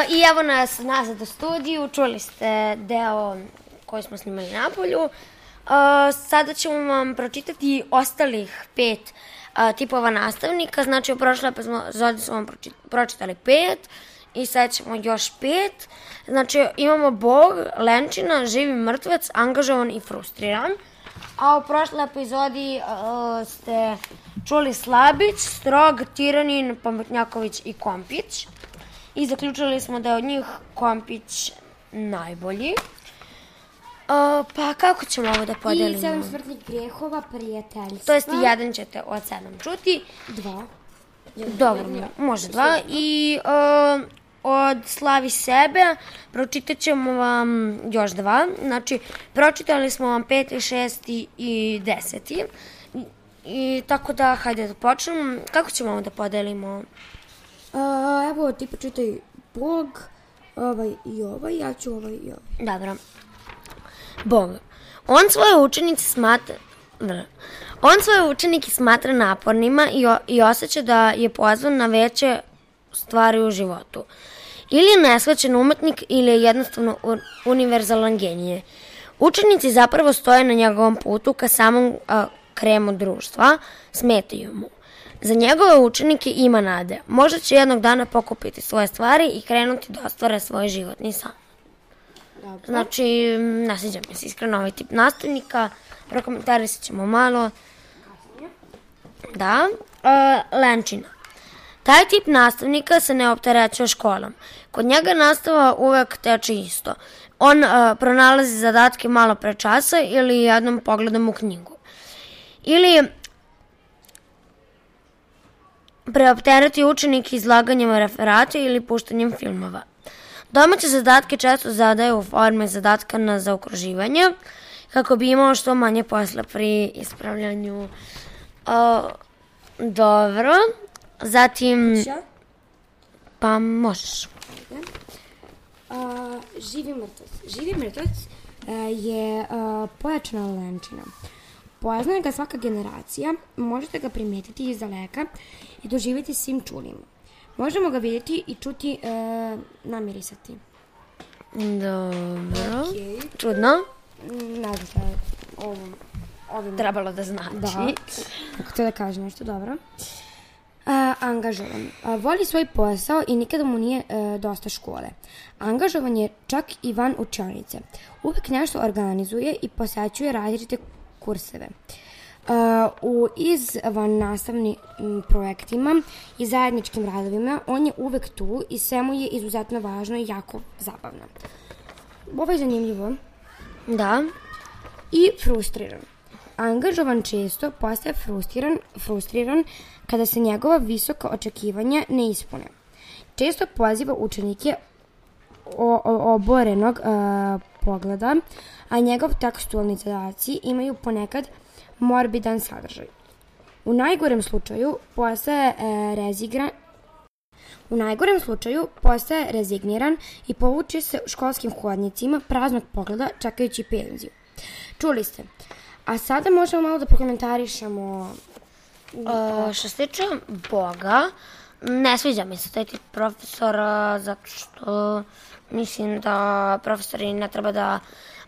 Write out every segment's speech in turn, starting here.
I evo nas nazad u studiju, čuli ste deo koji smo snimali napolju. Sada ćemo vam pročitati ostalih 5 tipova nastavnika, znači u prošloj epizodi smo vam pročitali 5 i sad ćemo još 5. Znači imamo Bog, lenčina, živi mrtvac, angažovan i frustriran. A u prošloj epizodi ste čuli Slabić, Strog, Tiranin, Pametnjaković i Kompić. I zaključili smo da je od njih Kompić najbolji. Pa kako ćemo ovo da podelimo? I 7 smrtnih grehova, prijateljstva. To jest 1 ćete od 7 čuti. 2. Dobro, može 2. I od Slavi sebe pročitat ćemo vam još 2. Znači, pročitali smo vam 5, 6 i 10. I tako da, hajde da počnemo. Kako ćemo ovo da podelimo? Evo, ti počitaj Bog, ovaj i ovaj, ja ću ovaj i ovaj. Dobro. Bog. On svoje učenike smatra napornima i osjeća da je pozvan na veće stvari u životu. Ili je nesvećen umetnik ili je jednostavno univerzalan genije. Učenici zapravo stoje na njegovom putu ka samom kremu društva, smetaju mu. Za njegove učenike ima nade. Možda će jednog dana pokupiti svoje stvari i krenuti da ostvare svoj životni san. Dobro. Znači, ne sviđa mi se iskreno ovaj tip nastavnika. Prokomentarisat ćemo malo. Da. Lenčina. Taj tip nastavnika se ne opterećuje školom. Kod njega nastava uvek teče isto. On pronalazi zadatke malo pre časa ili jednom pogledom u knjigu. Ili preoptereti učenik izlaganjem referata ili puštanjem filmova. Domaće zadatke često zadaje u forme zadatka na zaokruživanje, kako bi imao što manje posla pri ispravljanju. Dobro. Zatim... Pa možeš. Živi mrtvac. Živi mrtvac je pojačana lenčina. Poznaje ga svaka generacija, možete ga primetiti iz daleka i doživjeti svim čulima. Možemo ga vidjeti i čuti, namirisati. Dobro. Čudno. Ne znam šta je ovim trebalo da znači. Da, kako to da kaže nešto, dobro. Angažovan. Voli svoj posao i nikada mu nije dosta škole. Angažovan je čak i van učionice. Uvek nešto organizuje i posećuje različite kurseve. U izvan nastavnim projektima i zajedničkim radovima on je uvek tu i sve mu je izuzetno važno i jako zabavno. Ovo je zanimljivo. Da. I frustriran. Angažovan često postaje frustriran kada se njegova visoka očekivanja ne ispune. Često poziva učenike oborenog pogleda, a njegov tekstualni zadaci imaju ponekad morbidan sadržaj. U najgorem slučaju postaje rezigniran i povuče se školskim hodnicima praznog pogleda čekajući penziju. Čuli ste. A sada možemo malo da prokomentarišemo. Što se tiče Boga, ne sviđa mi se taj tip profesora, zato što mislim da profesori ne treba da...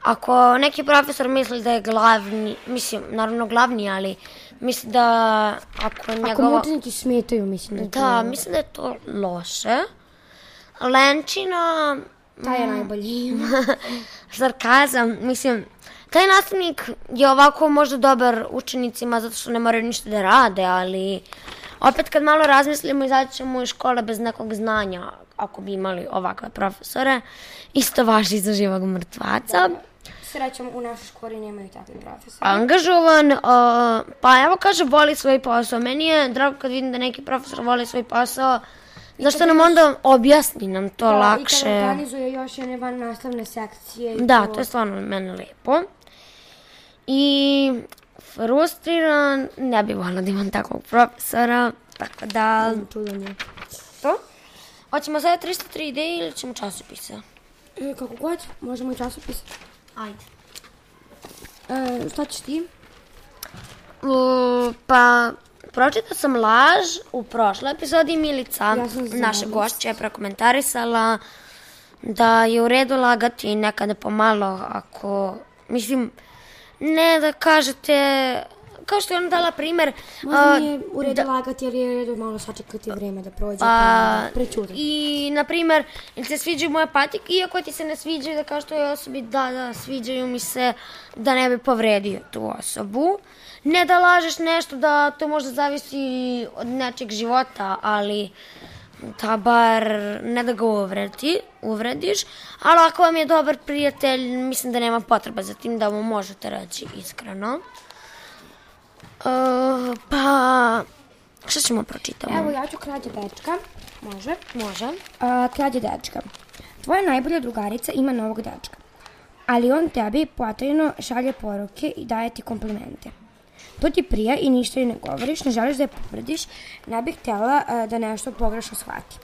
Ako neki profesor misli da je glavni, mislim, naravno glavni, ali mislim da ako njegova... Ako mu učenici smetaju, mislim da je to... Da, mislim da je to loše. Lenčina... Taj je najbolji. Sarkazam, mislim... Taj nastavnik je ovako možda dobar učenicima zato što ne moraju ništa da rade, ali opet kad malo razmislimo izaći ćemo iz škole bez nekog znanja ako bi imali ovakve profesore. Isto važi za živog mrtvaca. Srećom, u našoj školi nemaju takvi profesori. Angažovan, pa evo kaže voli svoj posao. Meni je drago kad vidim da neki profesor voli svoj posao. Zašto nam onda objasni nam to lakše? I kad organizuje još jedne van nastavne sekcije. Da, to je stvarno meni lepo. I frustriran, ne bih volila da imam takvog profesora, tako da... Čudanje. To? Hoćemo sada 303 ideje ili ćemo časopise? Kako god, možemo i časopise. Ajde. Šta ćeš ti? Pa, pročitao sam laž u prošloj epizodi. Milica, naša zavis. gošća, je prokomentarisala da je u redu lagati nekada pomalo ako, mislim, ne da kažete, kao što je ona dala primer. Možda nije u redu lagati jer je u redu malo sačekati vreme da prođe, pa prećutati. I, na primer, ili se sviđaju moje patike, iako ti se ne sviđaju, da kao što je osobi, da, sviđaju mi se, da ne bi povredio tu osobu. Ne da lažeš nešto, da to možda zavisi od nečeg života, ali da bar ne da ga uvrediš. Ali ako vam je dobar prijatelj, mislim da nema potreba za tim, da mu možete reći iskreno. Pa, šta ćemo pročitati? Evo, ja ću Krađa dečka. Može? Može. Krađa dečka. Tvoja najbolja drugarica ima novog dečka, ali on tebi potajno šalje poruke i daje ti komplimente. To ti prija i ništa joj ne govoriš, ne želiš da je povrediš, ne bih htjela da nešto pogrešno shvati.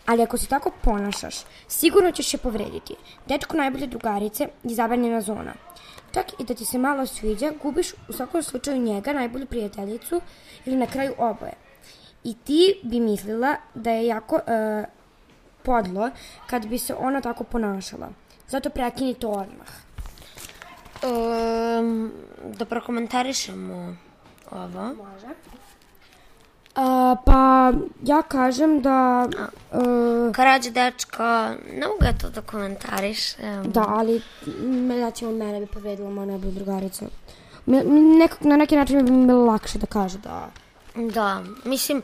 Ali ako se tako ponašaš, sigurno ćeš je povrediti. Dečko najbolje drugarice je zabranjena zona. Čak i da ti se malo sviđa, gubiš u svakom slučaju njega, najbolju prijateljicu, ili na kraju oboje. I ti bi mislila da je jako podlo kad bi se ona tako ponašala. Zato prekini to odmah. Da prokomentarišemo ovo. Može. Pa ja kažem da... Krađa dečka, ne mogu ja to da komentariš. Da, ali recimo mene bi povredila moja najbolja drugarica. Na neki način bi mi bilo lakše da kaže da... Da, mislim,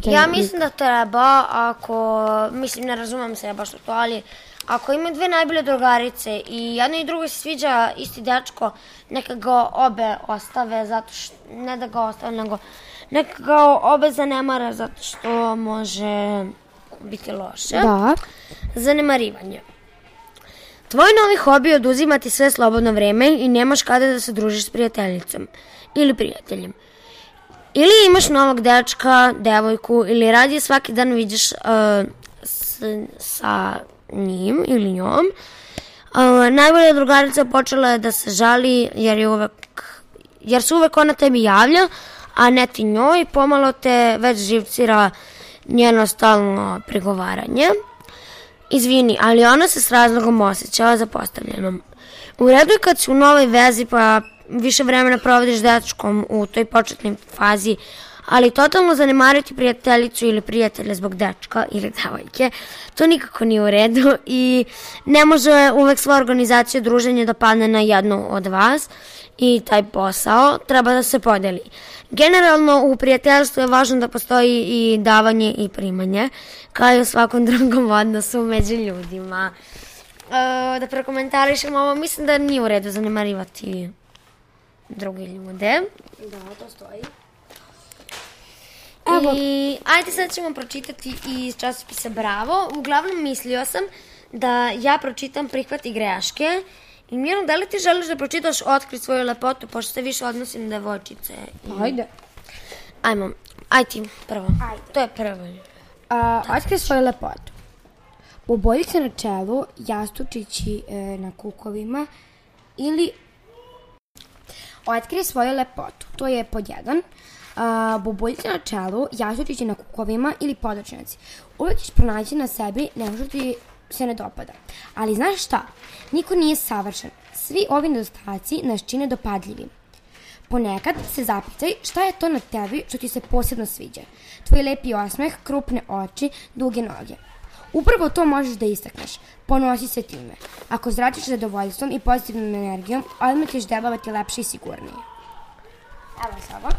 ja mislim da treba, ako, mislim, ne razumem se ja baš to, ali ako imaju dve najbolje drugarice i jednoj i drugoj se sviđa isti dečko, neka ga obe ostave, zato što, ne da ga ostave, nego neka ga obe zanemara, zato što može biti loše. Da. Zanemarivanje. Tvoj novi hobi je oduzimati sve slobodno vreme i nemaš kada da se družiš s prijateljicom ili prijateljem. Ili imaš novog dečka, devojku, ili radije svaki dan vidiš sa njim ili njom. Najbolja drugarica počela je da se žali jer se uvek ona tebi javlja, a ne ti njoj. Pomalo te već živcira njeno stalno prigovaranje. Izvini, ali ona se s razlogom osjećala zapostavljenom. U redu je kad si u novoj vezi pa više vremena provodiš s dečkom u toj početnoj fazi, ali totalno zanemariti prijateljicu ili prijatelja zbog dečka ili devojke, to nikako nije u redu i ne može uvek sva organizacija druženja da padne na jednu od vas i taj posao treba da se podeli. Generalno u prijateljstvu je važno da postoji i davanje i primanje, kao i u svakom drugom odnosu među ljudima. Da prokomentarišem ovo, mislim da nije u redu zanemarivati druge ljude. Da, to stoji. Evo. I ajde sad ćemo pročitati iz časopisa Bravo. Uglavnom mislio sam da ja pročitam Prihvati greške. I Mirno, da li ti želiš da pročitaš Otkri svoju lepotu, pošto se više odnosi na devojčice? Ajde. Ajmo, ajde ti prvo. Ajde. To je prvo. Otkri svoju lepotu. Boboljice na čelu, jastučići na kukovima ili... Otkri svoju lepotu. To je pod jedan. Boboljice na čelu, jastučići na kukovima ili podočnjaci. Uvijek ćeš pronaći na sebi nešto ti se ne dopada. Ali znaš šta? Niko nije savršen. Svi ovi nedostaci nas čine dopadljivim. Ponekad se zapitaj šta je to na tebi što ti se posebno sviđa. Tvoj lepi osmeh, krupne oči, duge noge. Upravo to možeš da istakneš. Ponosi se time. Ako zračiš zadovoljstvom i pozitivnom energijom, odmah ćeš delovati lepše i sigurnije. Evo Sava.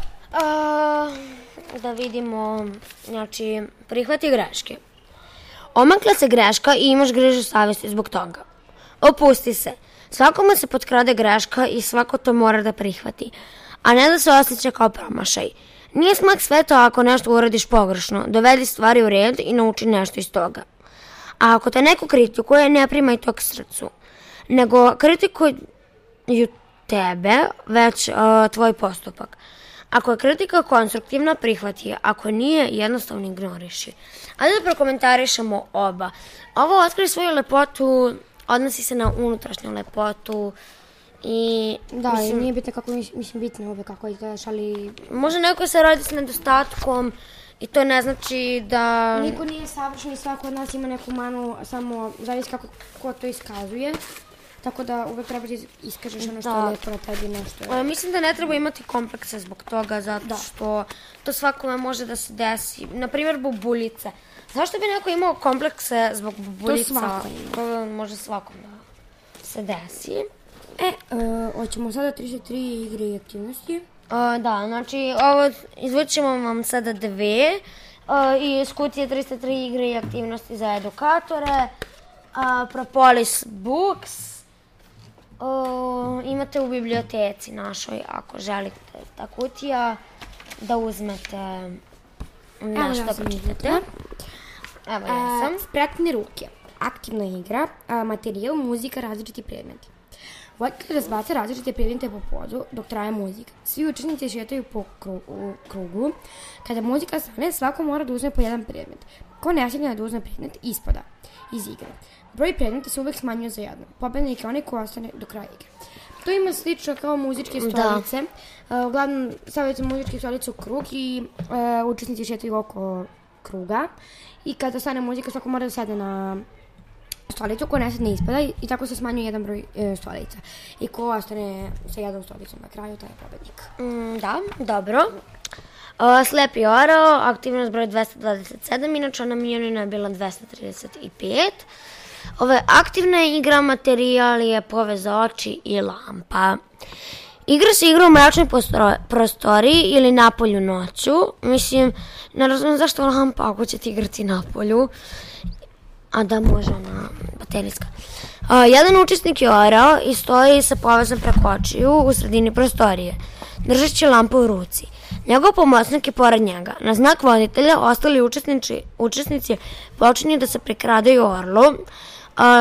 Da vidimo, znači, prihvati greške. Omakla se greška i imaš grižu savjesti zbog toga. Opusti se. Svakome se potkrade greška i svako to mora da prihvati, a ne da se osjeća kao promašaj. Nije smak sveta ako nešto uradiš pogrešno. Dovedi stvari u red i nauči nešto iz toga. A ako te neko kritikuje, ne primaj to k srcu, nego kritikuju tebe, već tvoj postupak. Ako je kritika konstruktivna, prihvati je. Ako nije, jednostavno ignoriši. Ajde da prokomentarišemo oba. Ovo Otkri svoju lepotu odnosi se na unutrašnju lepotu I, Da, mislim, nije bitno kako, mislim, bitno je uvek kako izgledaš, ali... Može neko se rodi s nedostatkom i to ne znači da... Niko nije savršen i svako od nas ima neku manu, samo zavisi kako ko to iskazuje. Tako da uvek treba da iskažeš ono što je lepo na tebi, nešto. Mislim da ne treba imati komplekse zbog toga, zato što to svakome može da se desi. Naprimjer, bubuljice. Zašto bi neko imao komplekse zbog bubuljica? To svako ima. To može svakom da se desi. Hoćemo sada 33 igre i aktivnosti. Da, znači, izvučemo vam sada dve. Iz kutije 303 igre i aktivnosti za edukatore. Propolis Books. Imate u biblioteci našoj, ako želite ta kutija, da uzmete nešto pročitate. Evo ja sam. Spretne ruke. Aktivna igra, materijal, muzika, različiti predmeti. Voditelj razbaca različite predmete po podu dok traje muzika. Svi učesnici šetaju po krugu. Kada muzika stane, svako mora da uzme po jedan predmet. Ko ne stigne da uzme predmet, ispada iz igre. Broj predmeta se uvek smanjuje za jedno. Pobednik je onaj ko ostane do kraja igre. To ima slično kao muzičke stolice. Uglavnom, stavljate muzičke stolice u krug i učesnici šetaju oko kruga. I kada stane muzika, svako mora da sedne na stolicu, ko ne sedne ispada i tako se smanjuje jedan broj stolica. I ko ostane sa jednom stolicom na kraju, taj je pobednik. Da, dobro. Slepi orao, aktivnost broj 227, inače ona Mijonina je bila 235. Aktivna igra, materijal je povez za oči i lampa. Igra se igra u mračnoj prostoriji ili napolju noću. Mislim, ne razumijem zašto lampa ako ćete igrati napolju. A da, može ona baterijska. Jedan učesnik je orao i stoji sa povezom preko očiju u sredini prostorije, držeći lampu u ruci. Njegov pomoćnik je pored njega. Na znak voditelja ostali učesnici počinju da se prikradaju orlu,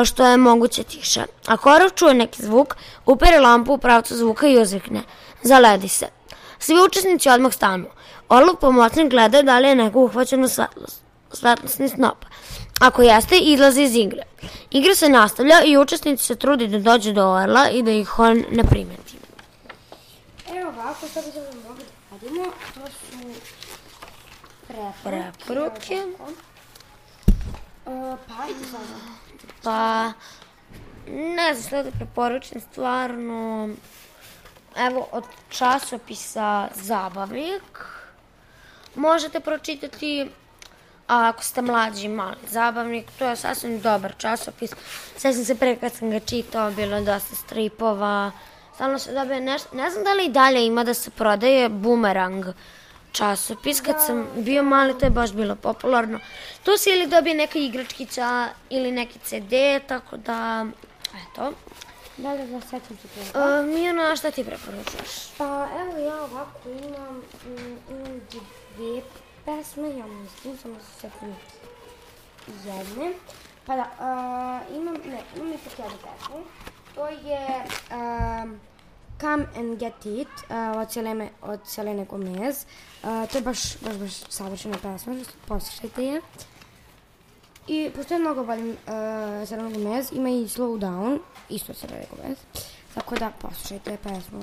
što je moguće tiše. Ako orao čuje neki zvuk, upere lampu u pravcu zvuka i uzvikne: zaledi se. Svi učesnici odmah stanu. Orlov pomoćnik gleda da li je neko uhvaćeno svetlosni snop. Ako jeste, izlazi iz igre. Igra se nastavlja i učesnici se trudi da dođu do orla i da ih on ne primeti. Evo ovako, što bi se mogli da radimo, to su preporuke. Pa, ne znam što da preporučim, stvarno, evo, od časopisa Zabavnik možete pročitati, a ako ste mlađi, mali Zabavnik, to je sasvim dobar časopis. Sjećam se pre kad sam ga čitao, bilo je dosta stripova, stalno se dobije nešto, ne znam da li i dalje ima da se prodaje Bumerang časopis, kad sam bio mali, to je baš bilo popularno. Tu se ili dobije neka igračkica ili neki CD, tako da, eto. Da, sećam se toga. Mijana, šta ti preporučuješ? Pa, evo ja ovako imam dve pesme, ja mislim, samo se setim jedne. Pa da, imam ipak jednu pesmu. To je Come and Get It od Selene Gomez. To je baš savršena pesma, poslušajte je. I pošto je mnogo volim Selene Gomez, ima i Slow Down, isto od Selene Gomez. Tako da poslušajte pesmu.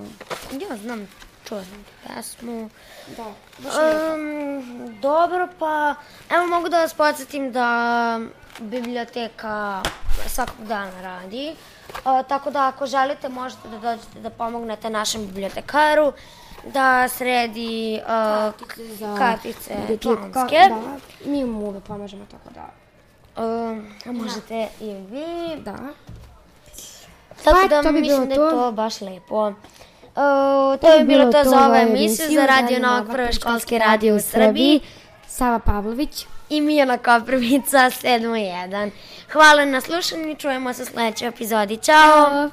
Ja znam, čuo sam pesmu. Da, baš je dobro, pa evo mogu da vas podsjetim da biblioteka svakog dana radi. Tako da ako želite možete da dođete da pomognete našem bibliotekaru da sredi kartice članske. Da, mi mu uvek pomažemo, tako da. Možete i vi. Da. Tako da mislim da je to baš lepo. To je bilo to za ovu emisiju za Radio Novog, prve školske radio u Srbiji. Sava Pavlović i Mijana Koprivica 7.1. Hvala na slušanju, čujemo se u sledećoj epizodi. Ćao!